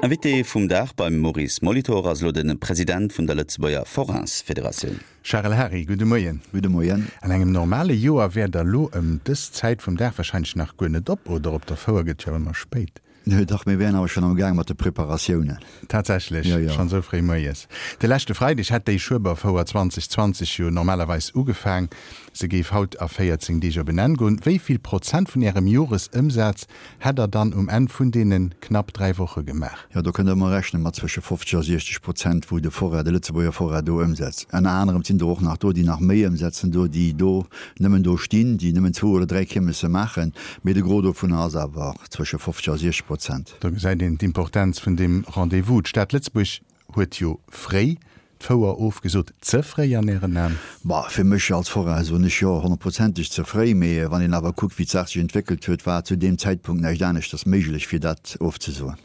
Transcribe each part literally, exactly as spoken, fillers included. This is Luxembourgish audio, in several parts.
Invité vum Dag beim Maurice Molitor ass elo de President vun der Lëtzebuerger Forains-Federatioun. Charel Hary, gudde Moien. Gudde Moien. An engem normale Joer wäert der elo ëm dës Zäit vum Dag warscheinlech nach guer net op, oder? Op der Fouer gëtt jo ëmmer spéit. Nö, dach, mir wären awer schonn am Gaang mat de Preparatiounen. Tatsächlech, Jo, jo. schonn esou fréi moies. De leschte Freideg hätt déi Schueberfouer zwanzeg zwanzeg jo normalerweis ugefaang. Se géif haut a véierzéng Deeg op en Enn goen. Wéi vill Prozent vun Ärem Joresëmsaz hätt Der dann um Enn vun deene knapp dräi Woche gemaach? Jo, do kënnt Der ëmmer rechne mat zwësche fofzeg a siechzeg Prozent, wou de Forain, de Lëtzebuerger Forain do ëmsetzt. Ënner anerem sinn der och nach do, déi nach méi ëmsetzen do, déi do nëmmen do stinn, déi nëmmen zwou oder dräi Kiermesse maachen. Mee de Gros dovunner ass awer zwësche fofzeg a siechzeg Prozent. Do gesäit een d'Importenz vun deem Rendez-vous. D'Stad Lëtzebuerg huet jo fréi d'Fouer ofgesot. Ze fréi an Ären Aen? Bah, fir mech als Forain soen ech jo, honnertprozenteg ze fréi. Mee wann een awer kuckt, wéi d'Saach sech entwéckelt huet, war zu deem Zäitpunkt näischt aneschters méiglech, fir dat ofzesoen.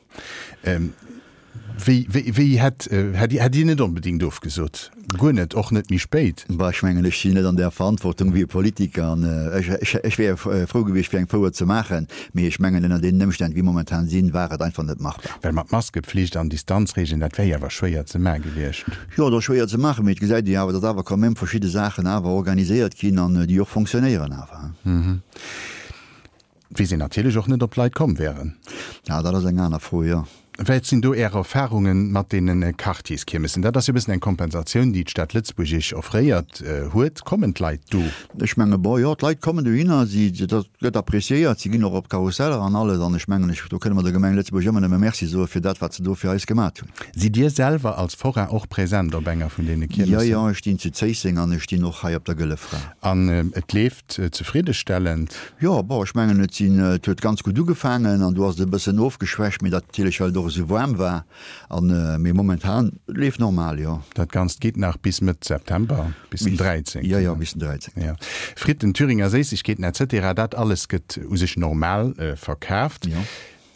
Wéi, wéi, wéi hätt, hätt, hätt Dir net onbedéngt ofgesot? Guer net, och net méi spéit? Bah, ech mengen, ech sinn net an där Verantwortung wéi e Politiker an ech, ech, ech wär frou gewiescht, fir eng Fouer ze maachen, mee ech mengen, ënner deenen Ëmstänn, wéi momentan sinn, war et einfach net machbar. Well mat Maskepflicht an Distanzregeln, dat wär jo awer schwéier ze maache gewiescht. Jo, et ass schwéier ze maachen, mee et gesäit ee jo awer, datt awer quand même verschidde Saachen awer organiséiert ginn an déi och fonctionnéieren awer. Weess een natierlech och net, ob d'Leit komm wären. Ja, dat ass eng aner Fro, jo. Wat sinn do Är Erfarunge mat deene Quartierskiermessen? Dat ass jo e bëssen eng Kompensatioun, déi d'Stad Lëtzebuerg Iech offréiert huet. Kommen d'Leit do? Ech menge bon, jo, d'Leit kommen dohinner, si, dat gëtt appréciéiert, si ginn och op d'Karusseller an alles. An ech mengen, ech, do kënne mer der Gemeng Lëtzebuerg ëmmer nëmme Merci soe fir dat, wat se do fir eis gemat hunn. Sidd Dir selwer als Forain och present op enger vun deene Jo, Kiermessen? jo, ech stinn zu Zéisseng an ech stinn och hei op der Gëlle Fra. An et leeft zefriddestellend? Jo, bon, ech mengen, et sinn, et huet ganz gutt ugefaangen an du ass et e bëssen ofgeschwächt, mee dat natierlech, well et och esou waarm war. An, mee momentan, et leeft normal, jo. Dat Ganzt geet nach bis Mëtt September, bis den dräizéngten. Jo, jo, bis den dräizéngten. Jo. Fritten, Thüringer Séissegkeeten et cetera, dat alles gëtt u sech normal verkaaft. Jo.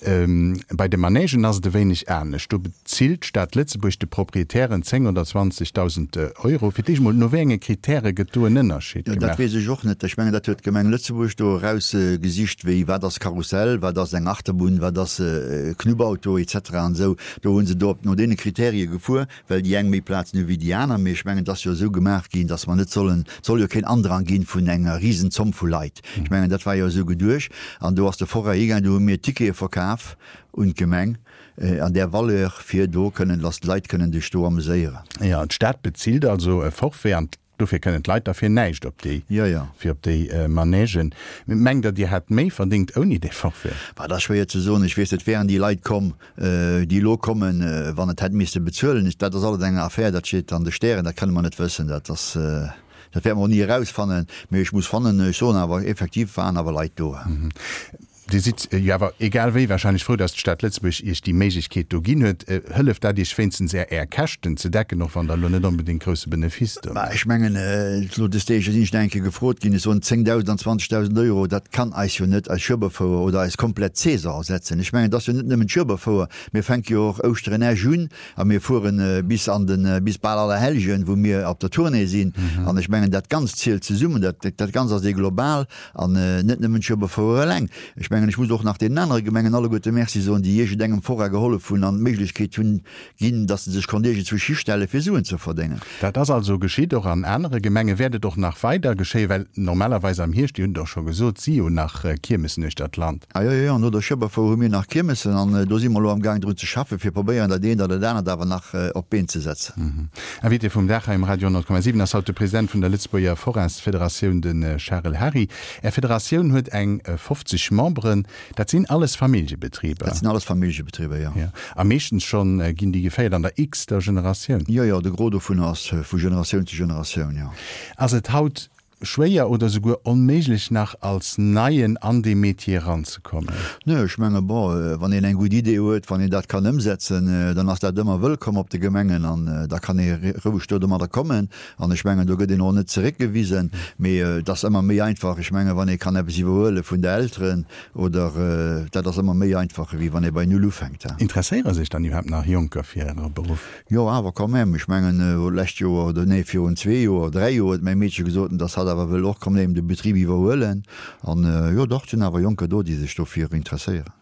Bei de Manègen ass et e wéineg anescht. Do bezilt d'Stad Lëtzebuerg de Proprietären zéng oder zwanzegdausend Euro. Fir d'éischt mol, no wéi enge Kritäre gëtt do en Ënnerscheed Jo, dat gemaach? weess ech och net. Ech mengen, dat huet d'Gemeng Lëtzebuerg do erausgesicht, wéi, wat ass Karussell, wat ass eng Achterbunn, wat ass e Knubbauto et cetera an esou. Do hu se do op no deene Kriterie gefuer, well déi eng méi Plazen hu wéi déi aner. Mee ech mengen, et ass jo esou gemaach ginn, datt mer net sollen, et soll jo keen Andrang ginn vun enger Risenzomm vu Leit. Ech mengen, dat war jo esou geduecht. An do ass de Forain higaangen, do hu mir Tickete verkaf un d'Gemeng an där Valeur, fir do kënnen, datt d'Leit kënnen sech do ameséieren. Jo, d'Stad bezilt also e Forfait an dofir kënnen d'Leit da fir näischt op déi, Jo, jo. fir op déi Manègen. Mengt Der, Dir hätt méi verdéngt ouni dee Forfait? Bah, dat ass schwéier ze soen. Ech weess net, wären déi Leit komm, déi elo kommen, wann et hätt misste bezuelen. Dat ass alles eng Affär, dat steet an de Stären, dat kënne mer net wëssen. Dat ass, dat wäerte mer och ni erausfannen. Mee ech muss fannen, ech soen awer, effektiv waren awer Leit do. Dir sidd jo awer egal wéi wahrscheinlech frou, datt d'Stad Lëtzebuerg Iech déi Méiglechkeet do ginn huet. Hëlleft dat Iech wéinstens Är Är Käschten ze decken, och wann Der elo net onbedéngt grousse Benefice do Bah, ech mengen, elo des Deeg sinn ech nach eng Kéier gefrot ginn, ech soen, zéngdausend an zwanzegdausend Euro, dat kann eis jo net eis Schueberfouer oder eis komplett Saison ersetzen. Ech mengen, et ass jo net nëmmen d'Schueberfouer, mir fänke jo och Ouschteren Esch un a mir fueren bis an den, bis bal Allerhellgen, wou mir op der Tournée sinn. An ech mengen, dat Ganzt zielt zesummen, dat, dat Ganzt ass ee Global an net nëmmen d'Schueberfouer eleng. Ech mengen, ech muss och nach deenen anere Gemengen alleguerte Merci soen, déi iergendengem Forain gehollef hunn an d'Méiglechkeet hunn ginn, dass se sech konnt iergendzwousch histelle fir Suen ze verdéngen. Dat ass also geschitt, och an anere Gemenge. Wäert et och nach weider geschéien? Well normalerweis am Hierscht, Dir hunn et och scho gesot, si jo nach Kiermessen uechter d'Land. Ah jo, jo, jo, no der Schueberfouer hu mir nach Kiermessen an do si mer elo amgaang drun ze schaffen, fir probéieren, dat eent oder dat anert awer nach op d'Been ze setzen. Invité vum Dag hei um Radio honnert Komma siwen ass haut de President vun der Lëtzebuerger Forains-Federatioun, de Charel Hary. Är Federatioun huet eng fofzeg Memberen. Dat sinn alles Familljebetriber? Dat sinn alles Familljebetriber, jo. Jo. A meeschtens schonn ginn déi geféiert an der x-ter Generatioun? Jo, jo, de Gros dovun ass vu Generatioun zu Generatioun, jo. Ass et haut schwéier oder souguer onméiglech nach als Neien an dee Metier eranzekommen? Nö, ech menge bon, wann een eng gutt Idee huet, wann een dat kann ëmsetzen, dann ass dat ëmmer wëllkomm op de Gemengen an da kann ee roueg do domadder kommen. An ech mengen, do gëtt een och net zeréckgewisen. Mee et ass ëmmer méi einfach, ech mengen, wann ee kann eppes iwwerhuele vun de Elteren oder, dat ass ëmmer méi einfach, ewéi wann ee bei Null ufänkt. Interesséiere sech dann iwwerhaapt nach Jonker fir Äre Beruff? Jo, awer quand même. Ech mengen, d'lescht Joer, oder nee, virun zwee Joer, dräi Joer huet mäi Meedche gesot, dass hatt awer wëll och quand même de Betrib iwwerhuelen. An jo, dach, et sinn awer Jonker do, déi sech dofir interesséieren.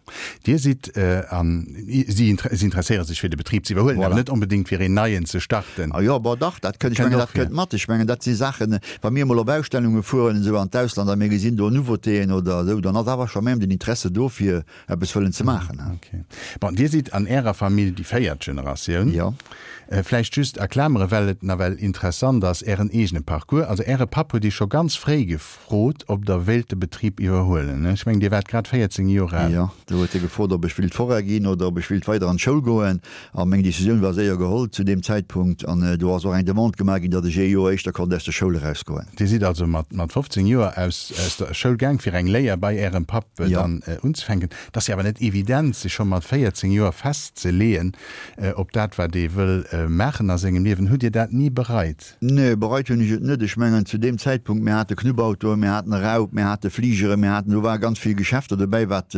Dir sidd an si interesséiere sech fir de Betrib ze iwwerhuelen, awer net onbedéngt fir een neien ze starten. A jo, bon dach, dat kënnt, ech mengen, dat kënnt mat. Ech mengen, dat si Saachen, wa mir emol op Ausstellunge fueren esou an d'Ausland a mir gesinn do Nouveautéen oder esou, dann ass awer scho même den Interesse do fir eppes wëllen ze maachen. Ok. Bon, Dir sidd an Ärer Famill déi véiert Generatioun. Jo. Vläicht just a Klamere, well et nawell interessant ass, Ären eegene Parcours. Also Äre Papp huet Iech scho ganz fréi gefrot, ob Der wéilt de Betrib iwwerhuelen. Ech mengen, Dir waart grad véierzéng Joer al. Jo, do huet hie gefrot, ob ech wéilt Forain ginn oder ob ech wéilt weider an d'Schoul goen. A meng Decisioun war séier geholl zu deem Zäitpunkt. An do ass och eng Demande gemaach ginn, datt ech ee Joer éischter konnt aus der Schoul erausgoen. Dir sidd also mat fofzéng Joer aus der Schoul gaang, fir eng Léier bei Ärem Papp dann unzefänken. Et ass jo awer net evident, sech scho mat véierzéng Joer festzeleeën op dat, wat ee wëll maachen a sengem Liewen. Hutt Dir dat ni bereit? Nee, bereit hunn ech et net. Ech mengen, zu deem Zäitpunkt, mir hate Knubbautoen, mir haten Raup, mir hate Fligeren, mir haten, do ware ganz vill Geschäfter dobäi, wat,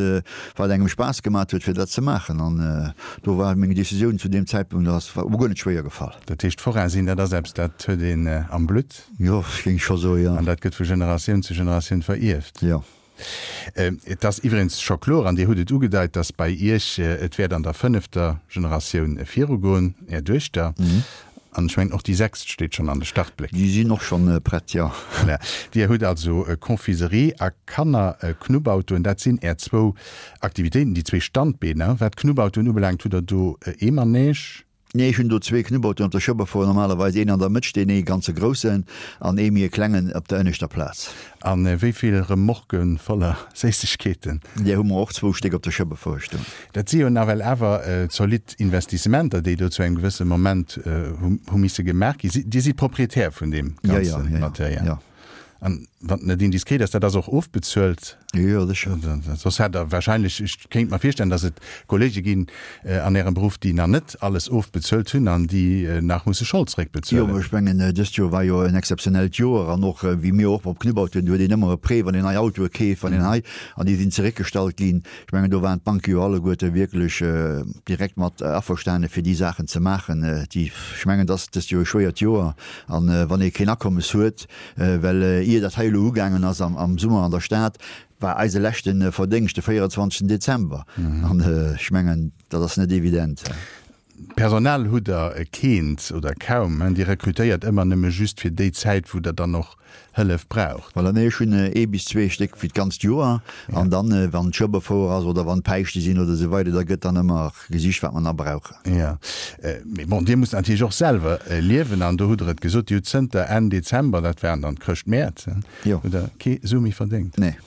wat engem Spaass gemat huet, fir dat ze maachen. An do war meng Decisioun zu deem Zäitpunkt, ass mer guer net schwéier gefall. Dat heescht, Forain sinn, dat ass eppes, dat huet een am Blutt? Jo, géing ech scho soen, jo. An dat gëtt vu Generatioun zu Generatioun verierft? Jo. Et ass iwwregens scho kloer, an Dir hutt et ugedeit, datt bei Iech et wäert an der fënnefter Generatioun virugoen, Är Duechter. An ech mengen, och déi sechst steet schonn an de Startbléck. Déi sinn och schonn prett, jo. Voilà. Dir hutt also Confiserie a Kannerknubbautoen. Dat sinn Är zwou Aktivitéiten, déi zwee Standbeener. Wat d'Knubbautoen ubelaangt, hutt Der do ee Manège? Nee, ech hunn do zwee Knubbautoen op der Schueberfouer, normalerweis een an der Mëtt stinn, ee ganze groussen an ee méi e klengen op der ënneschter Plaz. A wéi vill Remorquë voller Séissegkeeten? Där hu mer och zwou Stéck op der Schueberfouer stoen. Dat si jo nawell awer zolidd Investissementer, déi do zu engem gewësse Moment hu misse gemaach ginn. Dir sidd Proprietär vun deem ganze Material? Jo, jo. An wann et net indiskret ass, dat ass och ofbezuelt? Jo, sécher. Soss hätt Der wahrscheinlech, ech kéint mer virstellen, datt et Kollege ginn an Ärem Beruff, déi nach net alles ofbezuelt hunn an déi nach musse Schold zréckbezuelen. Jo, mä ech mengen, dëst Joer war jo en exzeptionellt Joer an och wéi mir och op Knubbautoen, do huet een ëmmer e Prêt, wann een nei Autoe keeft, wann een hei, an déi sinn zeréckgestallt ginn. Ech mengen, do waren d'Banke jo alleguerte wierklech direkt mat averstane fir déi Saachen ze maachen, déi, ech mengen, et ass dëst Joer e schwéiert Joer an wann ee keen Akommes huet, Well ier dat hei elo ugaangen ass am Summer an der Stad, war eise leschte Verdéngscht de véierenzwanzegsten Dezember. An ech mengen, dat ass net evident. Personal hutt Der keent oder kaum. Dir rekrutéiert ëmmer nëmme just fir déi Zäit, wou Der dann och Hëllef braucht. Voilà, nee, ech hunn ee bis zwee Stéck fir d'ganzt Joer. An dann, wann d'Schueberfouer ass oder wann d'Päischte sinn oder esou weider, da gëtt dann ëmmer gesicht, wat mer nach brauchen. Jo, mee bon, Dir musst natierlech och selwer liewen an do hutt Der et gesot, Dir hutt zënter Enn Dezember, dat waren dann d'Chrëschtmäert, hutt Der kee Su méi verdéngt. Nee.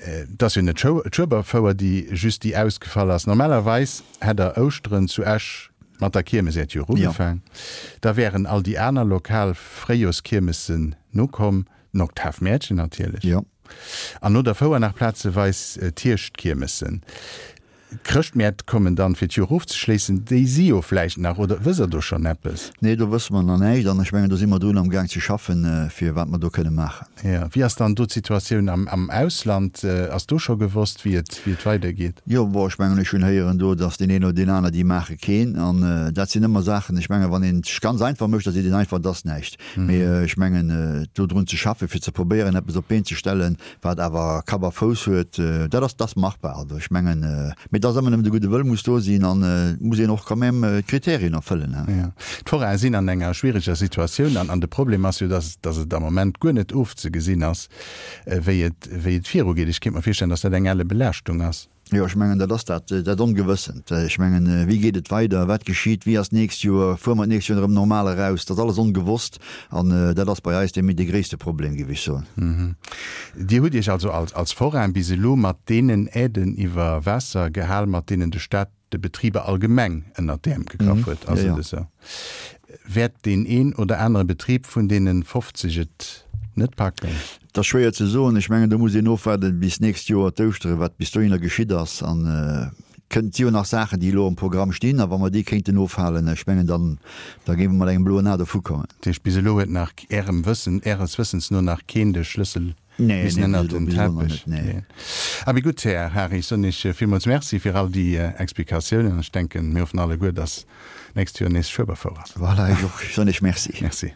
Et ass jo net d'Schueberfouer, déi just déi ausgefall ass. Normalerweis hätt Der Ouschteren zu Esch mat der Kiermes Äert Joer ugefaang. Da wären all déi aner lokal Fréijoerskiermessen nokomm, den Oktavmäertchen natierlech. An no der Fouer nach plazeweis d'Hierschtkiermessen. D'Chrëschtmäert kommen dann, fir d'Joer ofzeschléissen. Déi si jo vläicht nach, oder wësst Der do schonn eppes? Nee, do wësse mer nach näischt. An ech mengen, do si mer drun amgaang ze schaffen, fir wat mer do kënne maachen. Jo. Wéi ass dann do d'Situatioun am Ausland? Ass do scho gewosst, wéi et, wéi et weidergeet? Jo, bon, ech mengen, ech hunn héieren do, datt deen een oder deen aner, déi maache keen. An dat sinn ëmmer Saachen, ech mengen, wann een et sech ganz einfach mécht, da seet een einfach, et ass näischt. Mee ech mengen, do drun ze schaffen, fir ze probéieren, eppes op d'Been ze stellen, wat awer Kapp a Fouss huet, dat ass, dat ass machbar. Also ech mengen, mee et ass ëmmer nëmmen de gudde Wëll muss do sinn an et muss een och quand même d'Kriterien erfëllen. Jo, d'Forae sinn an enger schwiereger Situatioun an an de Problem ass jo, dass dass et am Moment guer net ofzegesinn ass, wéi et wéi et virugeet. Ech kéint mer virstellen, dass dat eng elle Belaaschtung ass. Jo, ech mengen, dat ass dat, dat Ongewëssent. Ech mengen, wéi geet et weider, wat geschitt, wéi ass d'nächst Joer, fuere mer d'nächst Joer erëm normal eraus? Dat ass alles ongewosst an dat ass bei eis dee dee gréisste Problem, géif ech soen. Dir hutt Iech also als als Forain bis elo mat deenen Aiden iwwer Waasser gehal, mat deenen de Staat de Betriber allgemeng ënnert d'Äerm gegraff huet, ass et esou? Wäert deen een oder anere Betrib vun deene fofzeg et net packen? Et ass schwéier ze soen. Ech mengen, do muss een ofwaarden bis d'nächst Joer d'Ouschtere, wat bis dohinner geschitt ass. An et kënnt, si jo nach Saachen, déi elo am Programm stinn. A wa mer déi kéinten ofhalen, ech mengen, dann, da géife mer mat engem bloen A dovukommen. Dat heescht, bis elo huet nach Ärem Wëssen, Äres Wëssens no nach keen de Schlëssel missen ënnert den Teppech leeën. Abee gutt, Här Hari, ech soen Iech villmools Merci fir all déi Explikatiounen. An ech denken, mir hoffen alleguer, dass d'nächst Joer nees Schueberfouer ass. Voilà, ech och. Ech soen Iech Merci. Merci.